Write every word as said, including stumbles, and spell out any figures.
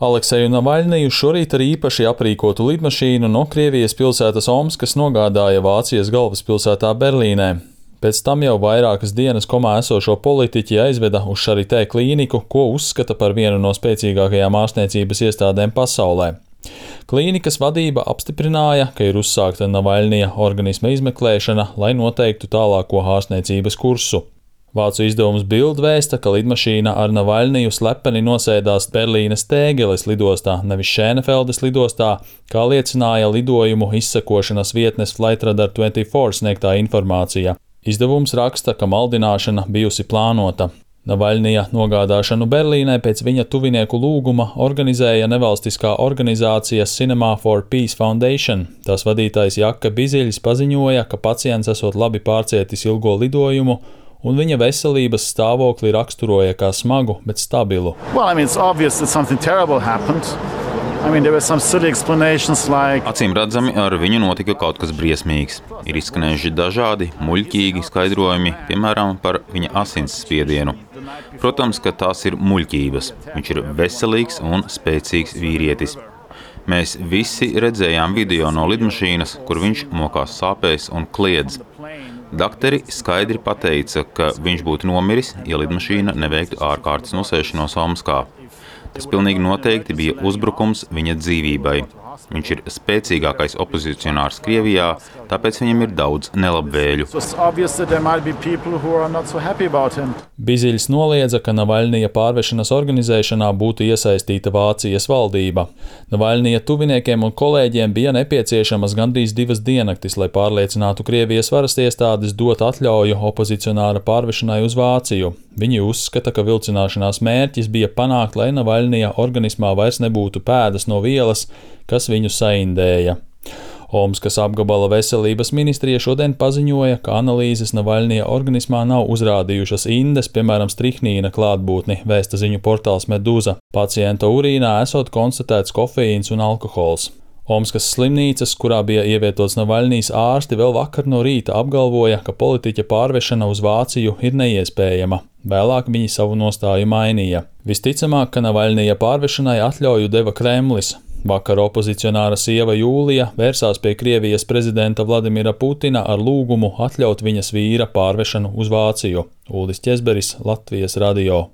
Alekseju Navaļniju šorīt ar īpaši aprīkotu lidmašīnu no Krievijas pilsētas Omskas nogādāja Vācijas galvaspilsētā Berlīnē. Pēc tam jau vairākas dienas komā esošo politiķi aizveda uz Charité klīniku, ko uzskata par vienu no spēcīgākajām ārstniecības iestādēm pasaulē. Klīnikas vadība apstiprināja, ka ir uzsākta Navaļnija organisma izmeklēšana, lai noteiktu tālāko ārstniecības kursu. Vācu izdevums Bild vēsta, ka lidmašīna ar Navaļniju slepeni nosēdās Berlīnes Tēgeles lidostā, nevis Šēnefeldes lidostā, kā liecināja lidojumu izsekošanas vietnes Flightradar divdesmit četri sniegtā informācija. Izdevums raksta, ka maldināšana bijusi plānota. Navaļnija nogādāšanu Berlīnē pēc viņa tuvinieku lūguma organizēja nevalstiskā organizācija Cinema for Peace Foundation. Tās vadītājs Jaka Biziļs paziņoja, ka pacients esot labi pārcietis ilgo lidojumu, un viņa veselības stāvokli raksturoja kā smagu, bet stabilu. Well, I mean, it's obvious that something terrible happened. I mean, there were some silly explanations like... Acīm redzami, ar viņu notika kaut kas briesmīgs. Ir izskanējuši dažādi, muļķīgi skaidrojumi, piemēram, par viņa asinsspiedienu. Protams, ka tās ir muļķības. Viņš ir veselīgs un spēcīgs vīrietis. Mēs visi redzējām video no lidmašīnas, kur viņš mokās sāpēs un kliedz. Dakteri skaidri pateica, ka viņš būtu nomiris, ja lidmašīna neveiktu ārkārtas nosēšanos Omskā. Tas pilnīgi noteikti bija uzbrukums viņa dzīvībai. Viņš ir spēcīgākais opozicionārs Krievijā, tāpēc viņam ir daudz nelabvēļu. Biziļs noliedza, ka Navaļnija pārvešanas organizēšanā būtu iesaistīta Vācijas valdība. Navaļnija tuviniekiem un kolēģiem bija nepieciešamas gandrīz divas diennaktis, lai pārliecinātu Krievijas varas iestādes dot atļauju opozicionāra pārvešanai uz Vāciju. Viņi uzskata, ka vilcināšanās mērķis bija panākt, lai Navaļnija organismā vairs nebūtu pēdas no vielas, kas viņu saindēja. Omskas apgabala veselības ministrija šodien paziņoja, ka analīzes Navaļnija organismā nav uzrādījušas indes, piemēram, strihnīna klātbūtni, vēsta ziņu portāls Meduza. Pacienta urīnā esot konstatēts kofeīns un alkohols. Omskas slimnīcas, kurā bija ievietots Navaļnijas ārsti, vēl vakar no rīta apgalvoja, ka politiķa pārvešana uz Vāciju ir neiespējama. Vēlāk viņi savu nostāju mainīja. Visticamāk, ka Navaļnija pārvešanai atļauju deva Kremlis. Vakar opozicionāra sieva Jūlija vērsās pie Krievijas prezidenta Vladimira Putina ar lūgumu atļaut viņas vīra pārvešanu uz Vāciju. Uldis Ķezberis, Latvijas radio.